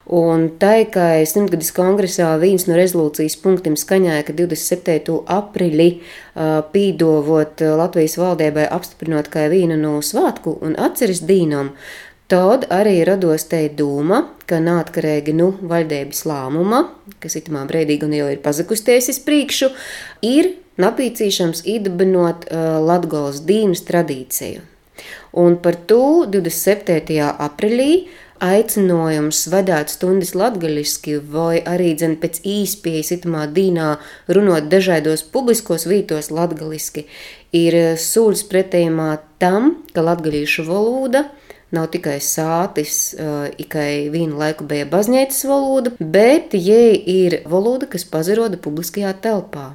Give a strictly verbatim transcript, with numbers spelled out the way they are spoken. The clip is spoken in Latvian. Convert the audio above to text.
Un tai, kai simtgadis kongresā viens no rezolūcijas punktiem skaņāja, ka divdesmit septīto aprīli pīdovot Latvijas valdībai apstiprinot kā vienu no svātku un atceres dīnom, tad arī rados te dūma, ka nātkarīgi nu valdības lāmuma, kas itamā brīdī gan jau ir pazakusties iz priekšu, ir napīcīšams īdabinot Latgolas dīnas tradīciju. Un par to divdesmit septītajā aprīlī aicinājums vadāt stundas latgaliski vai arī dzen pēc īspējas itamā dīnā runot dažādos publiskos vītos latgaliski ir sūļs pretējumā tam, ka latgalīšu valoda nav tikai sātis, ikai vienu laiku bija baznīcas valoda, bet jai ir valoda, kas pazaroda publiskajā telpā.